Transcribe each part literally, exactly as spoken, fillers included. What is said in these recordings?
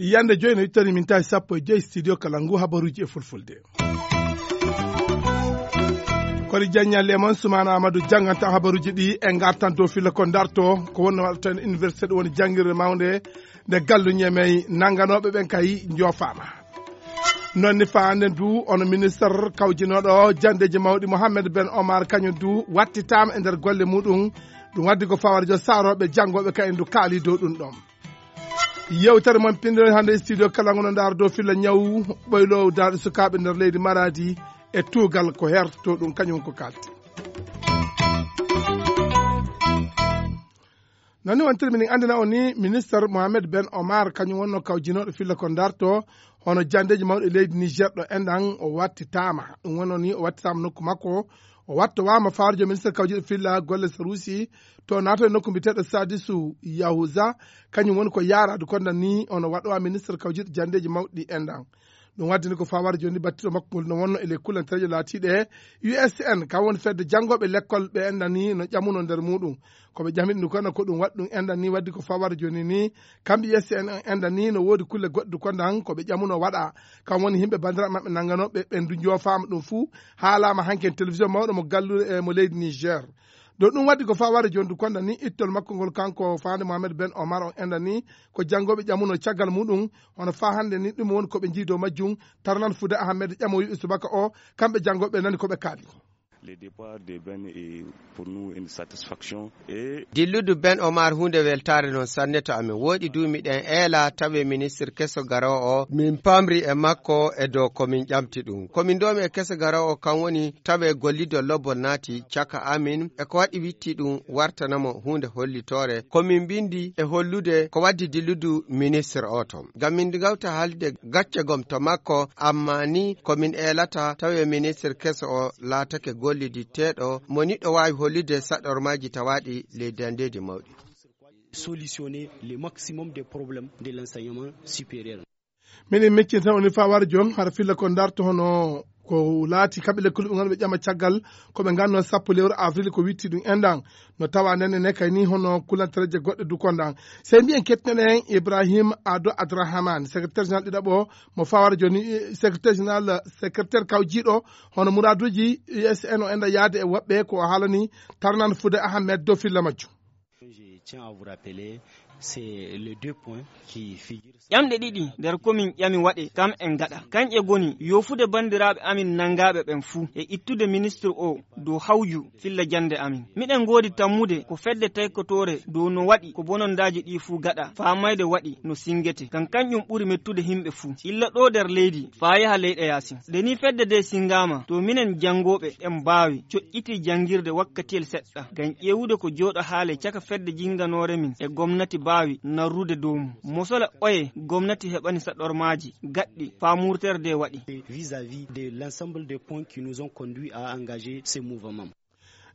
Yande joyi no ittani min tawi sappo e joyi studio kala ngu habaruji e fulfulde. Kori jaññalle e mon sumana amadou jangganta habaruji ɗi e gartan dow filla ko darto. Ko wonno waɗata en université ɗum woni janngirde mawnde nde gallu ñemey nannganoɓe ɓen kay joofama. Noon ni faande du ono ministre kawjinoɗo jandeji mawɗi mohammed ben omar kañum du wattitama e nder golle muɗum. Ɗum waddi ko fawara jo saroɓe janngoɓe ka en du kaali dow ɗum ɗon. Yewtere mon pinndere hannde e studio kala ngono ndaar dow filla ñaw ɓoylowo daarɗe sukaaɓe nder leydi maradi e tuugal ko herto ɗum kañum ko kalti. Noon ni wontirmi nin anndina on ni ministre mohamed ben omar kañum wonno kawjinoɗo filla ko darto hono jandeji mawɗi leydi niger ɗo enɗan o wattitama ɗum wonno ni o wattitama nokku makko. O wattowama fawrijo ministre kawjiɗo filla golle sarusi to nato e nokku mbiyeteɗo sadisu yahuza. Kañum woni ko yaradu konda ni ono waɗowa ministre kawjiɗo jandeji mawɗi ɗi enɗan. Ɗum waddini ko fawara joni battiɗo makko ngol no wonno e ley kullantereje laatiɗe usn kam woni fedde janngoɓe lekkol ɓe enɗani no ƴamuno nder muɗum. Ko ɓe ƴamiɗi ndu kono ko ɗum waɗi ɗum enɗan ni waddi ko fawara joni ni. Kamɓe usn enɗan ni no woodi kulle goɗɗe du kondan ko ɓe ƴamuno waɗa. Kam woni yimɓe bandiraɓe maɓɓe nannganoɓe ɓen du joofama ɗum fuu. Haalama hanki e télévision mawɗo mo gallude e mo leydi niger. Ɗo ɗum waddi ko fawara joni du kondan ni ittol makko ngol kanko fande mohamed ben omar on enɗan ni ko janngoɓe ƴamuno caggal muɗum. Hono fa hannde ni ɗum woni ko ɓe jii dow majjum. Tarnan fude ahammed ƴamowi e subaka o kamɓe janngoɓe nani ko ɓe kaali. Le départ de Ben est pour nous une satisfaction et dilludu ben omar hunde weltare non sanne to amin woɗi du miɗen eela tawe ministre keso garowo o min pamri e makko e dow komin ƴamti ɗum komin domi e keso garowo o kan woni tawe gollido lobbol naati caka amin e ko waɗi witti ɗum wartanamo hunde hollitore komin mbindi e hollude ko waddi dilludu ministre o ton ngam min gawta haalde gacce gom to makko amma ni ko min eelata tawi ministre keso o laatake golliditteeɗo mo niɗɗo waawi hollude saɗormaaji tawaaɗi ley dandeeji mawɗi. Solutionner le maximum des problèmes de l'enseignement supérieur. Miɗen meccinta woni fawar jon hara filla ko darto hono ko laati kamɓe lekkuɓe ɓe ganduɓe ƴama caggal ko ɓe ganno sappo lewru avril ko witti ɗum enɗan. No tawa nden ene kay ni hono kulantareje goɗɗe du kondan sey mbiyen kettinen en ibrahim ado adrahaman secrétaire général ɗiɗaɓo mo fawara joni secrétaire général secrétaire kawjiɗo hono muraduji usn o enɗa yaade e woɓɓe ko o haalani tarnan fude ahammed dow filla majjum. Je tiens à vous rappeler c'est les deux points qui figurent. Ƴamɗe ɗiɗi nder komin ƴami waɗe kam en gaɗa kanƴe goni yofude banndiraaɓe amin nanngaaɓe ɓen fuu e ittude ministre o dow hawju filla jannde amin. Miɗen ngoodi tammude ko fedde taykotore dow no waɗi ko bonondaaji ɗii fuu gaɗa faamayde waɗi no sinngete ngam kanƴum ɓuri mettude himɓe fuu illa ɗoo nder leydi faa yaha leyɗe yaasin. Nde nii fedde ndee sinngaama to minen janngooɓe en mbaawi coƴƴitii janngirde wakkatiyel seɗɗa ngam ƴeewude ko jooɗo haale caka fedde jinnganoore min e gomnati mbaawi narrude dow mum mosola oye gomnati heɓani saɗormaaji gaɗɗi faa murtere ndee waɗi. Vis à vis de l'ensemble des points qui nous ont conduits à engager ce mouvement.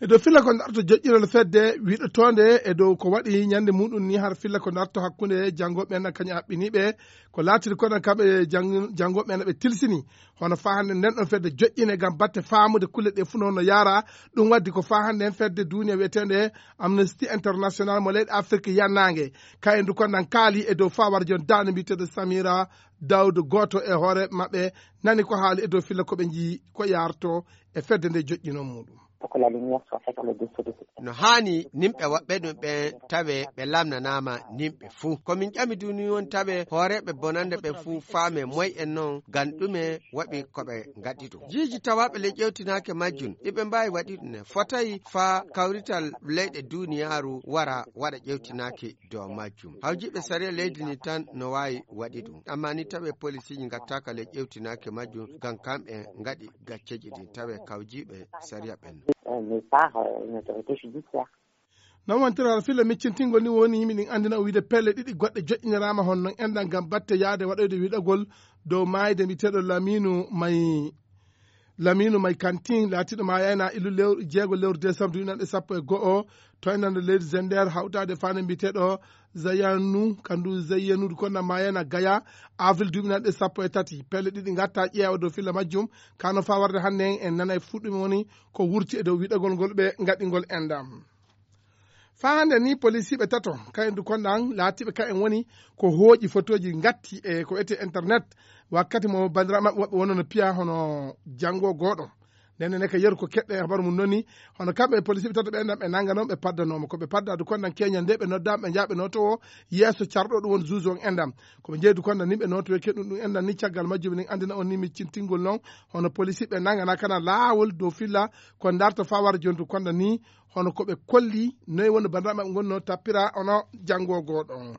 E dow filla ko darto joƴƴinol fedde wiɗotonde e dow ko waɗi ñande muɗum ni har filla ko darto hakkunde janngoɓe en kañum haɓɓiniɓe ko laatiri kono kamɓe janngoɓe en ɓe tilsini hono fa hannde nden ɗon fedde joƴƴine ngam batte faamude kulle ɗe fuu no honno yaara. Ɗum waddi ko fa hannde en fedde duniya wiyetende amnesty international mo leyɗe afrique yannaange kayen du konnan kaali e dow fawara jon daande mbiyeteɗo samira dawdo gooto e hoore maɓɓe nani ko haali e dow filla ko ɓe njii ko yarto e fedde nde joƴƴino muɗum. Pour que la lumière soit faite sur le dossier de ce. No haani nimɓe woɓɓe ɗum ɓen tawe ɓe lamnanaama nimɓe fuu ko min ƴami duni won tawe hooreeɓe bonande ɓe fuu faame moy en non ngam ɗume waɗi ko ɓe ngaɗi ɗum jiiji tawaaɓe le ƴewtinaake majjum ɗi ɓe mbaawi waɗi ɗum ne fotay faa kawrital leyɗe duuniyaaru wara waɗa ƴewtinaaki dow majjum hawjiiɓe sariya leydi ndi tan no waawi waɗi ɗum amma ni tawe polisiiji ngattaaka le ƴewtinaaki majjum ngam kamɓe ngaɗi gacceeji ɗin tawe kawjiiɓe sariya ɓen. Mais par une autorité judiciaire. Non wontira filla miccintingol ni woni yimɓe ɗin anndina o wiide pelle ɗiɗi goɗɗe joƴƴiniraama hono non enɗan ngam batte yaade waɗoyde wiɗagol dow maayde mbiyeteeɗo laminu mayi. Laminu Mai Kantin laatiiɗo maayayna illu lewru jeego lewru décembre duuɓi nanɗe sappo e go'o, to enɗan leydi Zender hawtaade faande mbiyeteeɗo Zayanu, kandu Zayanu konda maayayna Gaya, avril duuɓi nanɗe sappo e tati. Pelle ɗiɗi ngatta ƴeewa dow filla majjum, kano faa warde hannde en, en nanay fuu ɗum woni ko wurti e dow wiɗagol ngol ɓe ngaɗingol enɗam. Faa hannde ni, polisiiɓe tato, kayen du konda an, laatiiɓe kayen woni ko hooƴi fotooji ngatti e ko wiyetee internet, wakkati mo banndiraaɓe maɓɓe woɓɓe wonno no piya hono janngo gooɗo. Nden ne ka yeru ko keɗɗe habaru mum noni, hono kamɓe e polisiiɓe tato ɓe enɗam ɓe nannga noon, ɓe padda noon. Ko ɓe padda du konda keñal nde ɓe noddaama, ɓe njaha ɓe nootowo yeeso carɗo ɗum woni juge on enɗam. Ko ɓe njehi du konda ni ɓe nootowe keɗum ɗum enɗam ni caggal majjum min anndina on ni miccintingol noon, hono polisiiɓe nanngana kana laawol dow filla ko ndarta faa wara jontu konda ni, hono ko ɓe kolli, noy woni banndiraaɓe maɓɓe ngonno tappira hono janngo gooɗo.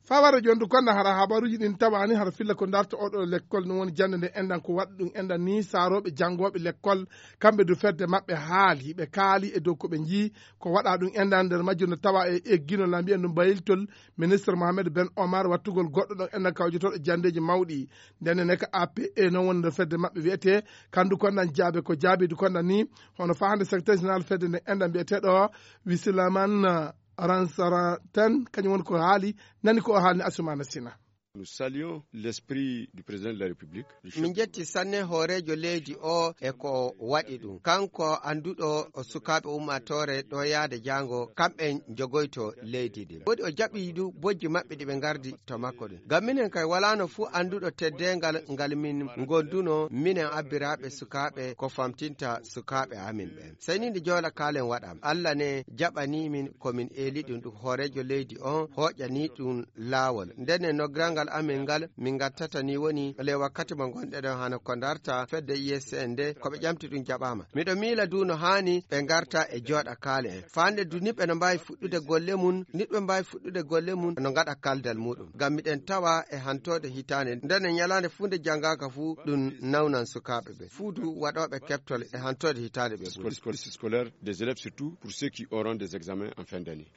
Faa wara jontu konda hara habaruuji ɗin tawaani hara filla ko ndarta oɗo lekkol, ɗum woni jannde nde enɗan ko waɗi ɗum enɗan ni saarooɓe janngooɓe lekkol, kamɓe du fedde maɓɓe haali, ɓe kaali e dow ko ɓe njii ko waɗa ɗum enɗan nder majjum no tawa e eggino la mbiyen ɗum bayiltol ministre Mohamed Ben Omar wattugol goɗɗo ɗon enɗan kawjotooɗo janndeeji mawɗi. Nden ne ka A P E noon woni nder fedde maɓɓe wiyetee, kandu kondan jaabe ko jaabi du kondan ni, hono faa hannde secrétaire général fedde nde enɗan mbiyeteeɗo Wisilaman Ransaratan, kañum woni ko haali, nani ko o haalni Asumana Sina. Nous saluons l'esprit du président de la République. Min njetti sanne hooreejo leydi o e ko waɗi ɗum. Kanko annduɗo o sukaaɓe ummaatoore ɗo yaade jaango, kamɓe jogoyto leydi ndi. Woodi o jaɓi du bojji maɓɓe ɗi ɓe ngardi to makko ɗin. Ngam minen kay walaano fuu annduɗo teddeengal ngal min ngonduno, minen abbiraaɓe sukaaɓe ko famtinta sukaaɓe amin ɓen. Sey ni nde jooɗa kaalen waɗam. Allah ne jaɓani min ko min eeli ɗum, ɗum hooreejo leydi on hooƴani ɗum laawol. Nden e noggirangal amin ngal, min ngattata ni woni le wakkati mo ngonɗen ɗon hano ko ndarta fedde U S C N nde, ko ɓe ƴamti ɗum jaɓaama. Miɗo miila du no haani ɓe ngarta e jooɗa kaale en. Faande du ni ɓe no mbaawi fuɗɗude golle mum, ni ɓe mbaawi fuɗɗude golle mum no ngaɗa kaldal muɗum. Ngam miɗen tawa e hantoode hitaande, nden e ñalaande fuu nde janngaaka fuu ɗum nawnan sukaaɓe ɓe. Fuu du waɗooɓe keɓtol e hantoode hitaande ɓe ɓuri. Scolaire des élèves surtout pour ceux qui auront des examens en fin d'année.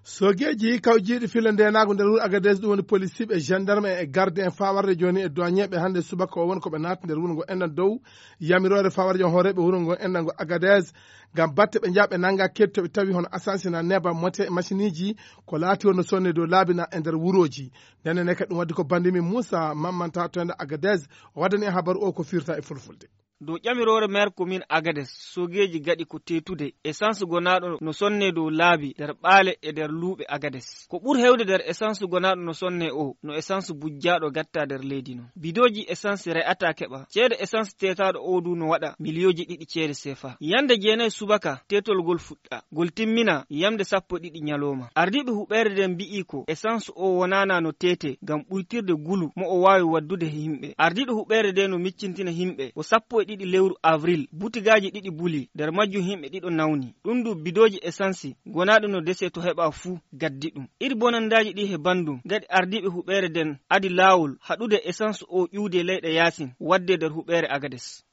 Sogeeji kawjiiɗi filla ndeenaagu nder wuro Agadez, ɗum woni polisiiɓe, gendarme e garde en faa warde jooni e duwañeeɓe hannde subaka o woni ko ɓe naati nder wuro ngo enɗan dow yamiroore faa warde jooni hooreeɓe wuro ngo enɗan ngo Agadez ngam batte ɓe njaha ɓe nannga kettooɓe tawi hono asansina neeba mote machiniiji ko laati wonno sonne dow laabi na e nder wurooji. Nden ne kadi ɗum waddi ko banndi min Muusa Mammanta to enda Agadez o waddani en habaru o ko firta e fulfulde. Dow ƴamiroore maire commune Agades, sogeeji gaɗi ko teetude essence gonaaɗo no sonne dow laabi nder ɓaale e nder luuɓe Agades. Ko ɓur heewde nder essence gonaaɗo no sonne o, no essence bujjaaɗo gatta nder leydi non. Bidooji essence re'ataa keɓa. Ceede essence teetaaɗo o du no waɗa miliyooji ɗiɗi ceede seefa. Yande jeenayi subaka teetol ngol fuɗɗa. Ngol timmina yamde sappo e ɗiɗi ñalooma. Ardiiɓe huɓeere nden mbi'i ko essence o wonaana no teete ngam ɓuytirde ngulu mo o waawi waddude e yimɓe. Ardiiɗo huɓeere nde no miccintina yimɓe ko sappo e ɗiɗi lewru avril butigaaji ɗiɗi buli, nder majjum yimɓe ɗiɗo nawni. Ɗum du bidooji essence gonaaɗi no dese to heɓa fuu gaddi ɗum. Iri bonandaaji ɗi he banndum ngaɗi ardiiɓe huɓeere nden adi laawol haɗude essence o ƴuwde leyɗe yaasin wadde nder huɓeere Agades.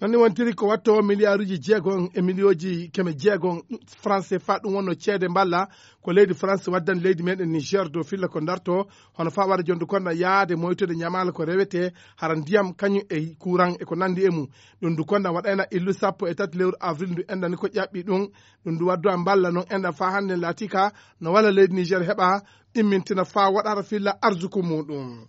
Noon ni wontiri ko waɗto miliyaaruuji jeegom e miliyooji keme jeegom franc C F A, ɗum wonno ceede mballa ko leydi France waddani leydi meɗen Niger dow filla ko darto, hono faa wara jonde konda yaade moytude ñamaale ko rewetee, hara ndiyam kañum e kuran e ko nanndi e mum. Ɗum du konda waɗayna illu sappo e tati lewru avril ndu enɗan ni ko ƴaɓɓi ɗum. Ɗum du waddu a mballa noon enɗan faa hannde laati ka no walla leydi Niger heɓa immintina faa waɗa hara filla arsuku muɗum.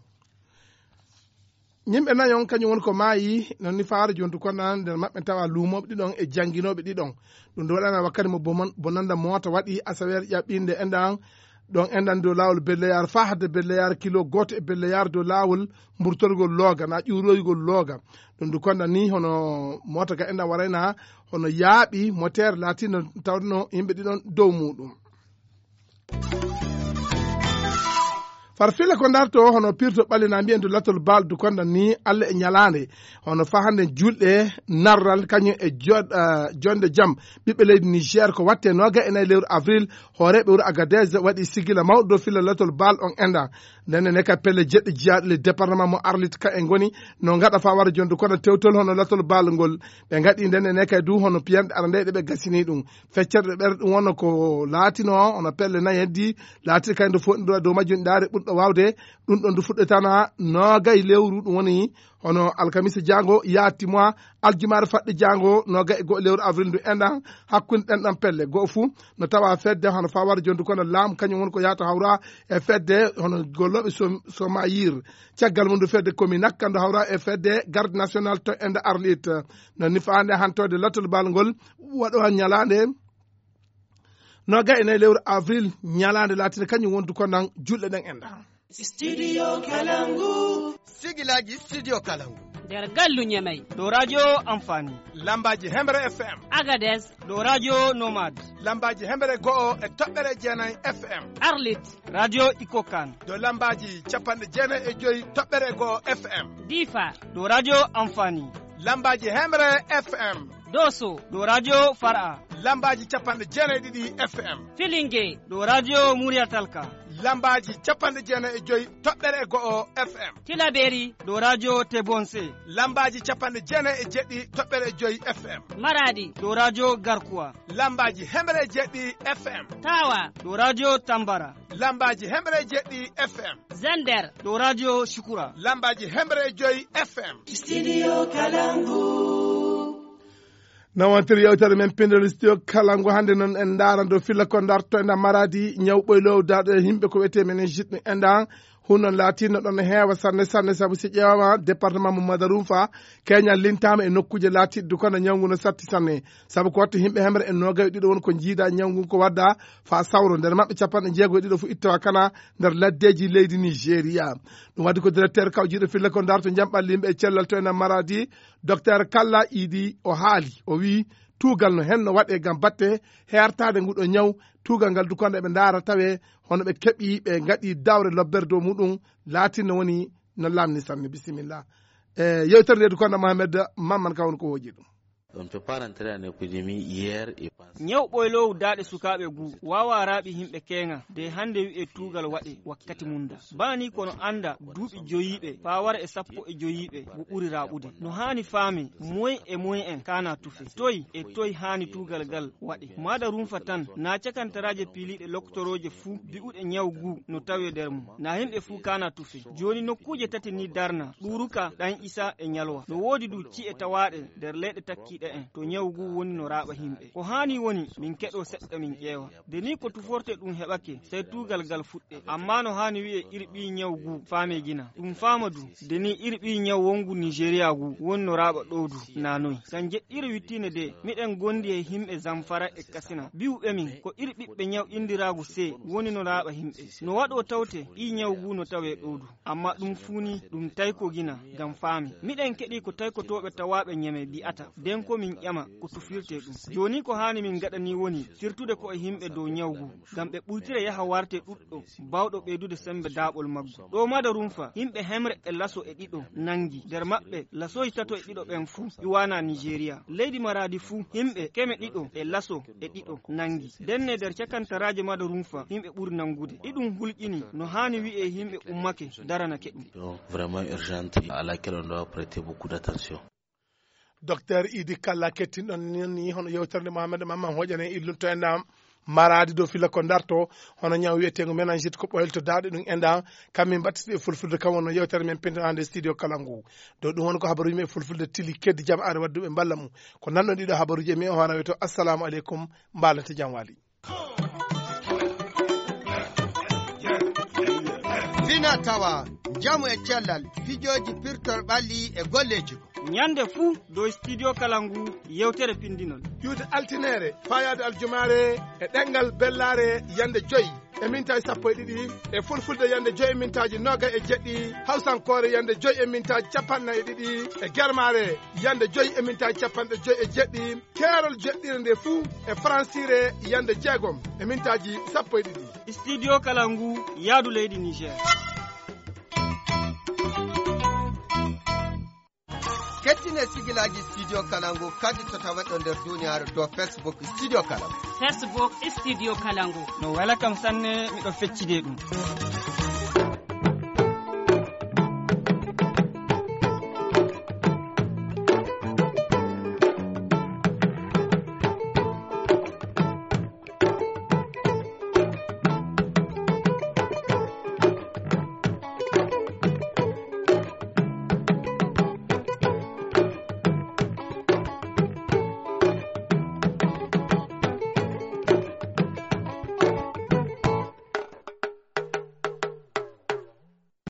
Yimɓe nayon kañum woni ko maayi, noon ni faaro jontu konda nder maɓɓe tawa luumooɓe ɗiɗon e jannginooɓe ɗiɗon. Ɗum ndu waɗana wakkati mo bomon-, bonanda moota waɗi asaweere ƴaɓɓinde enɗan, ɗon enɗan dow laawol Belleyaar faa hadde Belleyaar kilo gooto e Belleyaar dow laawol mburtorgol looga, na ƴuuroygol looga. Ɗum ndu konda ni hono moota ga enɗan warayna hono yaaɓi moteer laatino tawno yimɓe ɗiɗon dow muuɗum. Far fila ko darto hono pirto ɓalli na mbiyen to latol baldu konda ni Allah e ñalaande hono faa hannde julɗe narral kañum e joɗ-, ah, jonde jam ɓiɓɓe leydi Niger ko watte nooga e nayi lewru avril hooreeɓe wuro Agadez waɗi sigila mawɗo dow fila latol bal on enɗan. Nden ne ka pelle jeɗɗe jiyaaɗe le département mo Arlit ka e ngoni no ngaɗa faa wara jonde kono tewtol hono latol bal ngol ɓe ngaɗi nden ne kay du hono piyanɗe ara nde ɗe ɓe gasini ɗum. Feccere ɓer ɗum wonno ko laatino hono pelle nayi heddi laatiri kay nde fof ɗum dow majjum ndaare ɓur fuɗɗo waawde. Ɗum ɗoon ndu fuɗɗotana noogay lewru, ɗum woni hono alkamisa jaango yaati mois aljumaare faɗɗo jaango noogay e go'o lewru avril ndu enɗan. Hakkunde ɗen ɗan pelle go'o fuu no tawa fedde hono fawar jondu kono laam kañum woni ko yahata hawra e fedde hono gollooɓe som- somayir. Caggal mum ndu fedde komi nakka ndu hawra e fedde garde national to ende arlit. No nifaande hantode lattol bal ngol waɗo ñalaande noogay e nayi lewru avril, ñalaande laatinde kañum wondu ko nan julɗe ɗen enɗan. Studio Kalangu. Sigilaji Studio Kalangu. Nder gallu Ñamey. Ɗo radio Amfani. Lambaji Hemre F M. Agades. Ɗo radio Nomad. Lambaji Hemre go'o e toɓɓere jeenay F M. Arlit. Radio Ikokan. Ɗo lambaji capanɗe jeenay e joyi toɓɓere go'o F M. Difa. Ɗo radio Amfani. Lambaji Hemre F M. Doso. Ɗo radio Fara. Lambaji capanɗe jeenay ɗiɗi F M. Filinge. Ɗo radio Muriyatalka. Lambaji capanɗe jeenay e joyi toɓɓere e go'o F M. Tilaberi. Ɗo radio Tebonse. Lambaji capanɗe jeenay e jeɗɗi toɓɓere e joyi F M. Maradi. Ɗo radio Garkuwa. Lambaji hemre e jeɗɗi F M. Tawa. Ɗo radio Tambara. Lambaji hemre e jeɗɗi F M. Zender. Ɗo radio Shukura. Lambaji hemre e joyi F M. Studio Kalangu. Nawantiri yewtere men pindol studio kala ngo hannde noon en ndaara do filla ko darto enda maradi ñaw ɓoylow daɗo e yimɓe ko wiyetee meningite ɗum enɗan. Hun noon laatinno ɗon heewa sanne sanne sabu si ƴeewama département mo Madarumfa keñal lintaama e nokkuuje laatiɗe du kono ñaw ngu no satti sanne. Sabu ko watta yimɓe hemre e noogay ɗiɗo won ko jiida ñaw ngu ko wadda fa sawro nder maɓɓe capanɗe jeego e ɗiɗo fu ittawa kana nder laddeji leydi Nigeria. Ɗum waddi ko directeur kawjiiɗo filla ko darto jamɓal yimɓe e cellal to ena maradi. Docteur Kalla Idi o haali, o wii tuugal no henno waɗe ngam batte heertaade nguɗo ñaw. Tuugal ngal dukonɗo eɓe ndaara tawe hono ɓe keɓi ɓe ngaɗi dawre lobbere dow muɗum laatinno woni no lamni sanne. Bisimilla. E yewtere nde dukonɗo Mohamed Mamman ka woni ko hooji ɗum. On ne peut pas rentrer en épidémie hier et penser. Ñaw ɓoyloowu daaɗe sukaaɓe guu waawaa raaɓi yimɓe keeŋa de hannde wi'ee tuugal waɗee wakkati mum da. Baa nii ko no annda duuɓi joyiiɓe faa wara e sappo e joyiiɓe ngu ɓuri raaɓude. No haani faamee moy e moy en kaanaa tufe. Toy e toy haani tuugal ngal waɗee. Maada rumfa tan naa cakantaraaje piiliiɗe loktorooje fuu bi'uɗe ñaw guu no tawee nder mum. Naa yimɓe fuu kaanaa tufe. Jooni nokkuuje tati nii darnaa, Ɗuuruka, Ɗan Isaa e Ñalwa. No woodi du ci'e tawaaɗe nder leyɗe takkiiɗe en to ñaw ngu woni no raaɓa yimɓe. Ko haani woni min keɗoo seɗɗa min ƴeewa. Nde nii ko tufortee ɗum heɓake, sey tuugal ngal fuɗɗee. Ammaa no haani wi'ee iri ɓii ñaw ngu faamee gina. Ɗum faama du, nde nii iri ɓii ñaw wonngu Nigeria ngu woni no raaɓa ɗoo du, naa noy. Kan jeɗɗiire wittiinde de, miɗen gondi e yimɓe Zamfara e Kasina. Bi'uɓe min ko iri ɓiɓɓe ñaw inndiraagu see woni no raaɓa yimɓe. No waɗoo tawte ɓii ñaw ngu no tawee ɗoo du. Ammaa ɗum fuu nii ɗum taykoo gina ngam faamee. Miɗen keɗii ko taykotooɓe tawaaɓe Ñamey bi'ata, nden ko min ƴama ko tufirtee ɗum. Jooni ko haani min ngaɗa nii woni sirtude ko'e yimɓe dow ñaw ngu, ngam ɓe ɓurtira yaha wartee ɗuɗɗo baawɗo ɓeydude semmbe daaɓol maggu. Ɗoo Maada Rumfa, yimɓe hemre e laso e ɗiɗo nanngi, nder maɓɓe lasooji tato e ɗiɗo ɓen fuu iwaanaa Nigeria. Leydi Maraadi fuu, yimɓe keme ɗiɗo e laso e ɗiɗo nanngi. Ndenne nder cakantaraaje Maada Rumfa, yimɓe ɓuri nanngude. Iɗum hulƴini no haani wi'ee yimɓe ummake daranake ɗum. Vraiment urgente à laquelle on doit prêter beaucoup d'attention. Docteur Idi Kalla kettinɗon ni hono yewtere nde Mohamed Mamman Hoƴane illunto en ɗam. Maraadi dow filla ko darto hono ñaw wiyeteengo meningite ko ɓoylto daaɗe ɗum enɗan. Kam min mbattiti e fulfulde kam wonno yewtere men pindanaande studio kala ngu. Dow ɗum woni ko habaruuji men e fulfulde tili keddi jam are wadduɓe mballa mum. Ko nanɗon ɗiɗo habaruuji e mi o hono wiyetoo assalamu aleykum. Mbaalante jam waali. Fina tawa njamu e cellal fijooji pirtor ɓalli e golleeji ko. Ñande fuu dow studio kala ngu yewtere pindinol. Iwde altineere faayaade aljumaare e ɗemngal bellaare yande joyi e mintaaji sappo e ɗiɗi, e fulfulde yande joyi e mintaaji noogay e jeɗɗi, hawsankoore yande joyi e mintaaji capanɗe nayi e ɗiɗi, e germaare yande joyi e mintaaji capanɗe joyi e jeɗɗi, keerol jeɗɗire nde fuu e faransiire yande jeegom e mintaaji sappo e ɗiɗi. Studio kala ngu yaadu leydi Niger. Kettine sigilaaji studio kala ngu kadi to taweɗo nder duniyaaru to Facebook studio kala ngu. Facebook studio kala ngu. No wela kam sanne, miɗo feccide ɗum.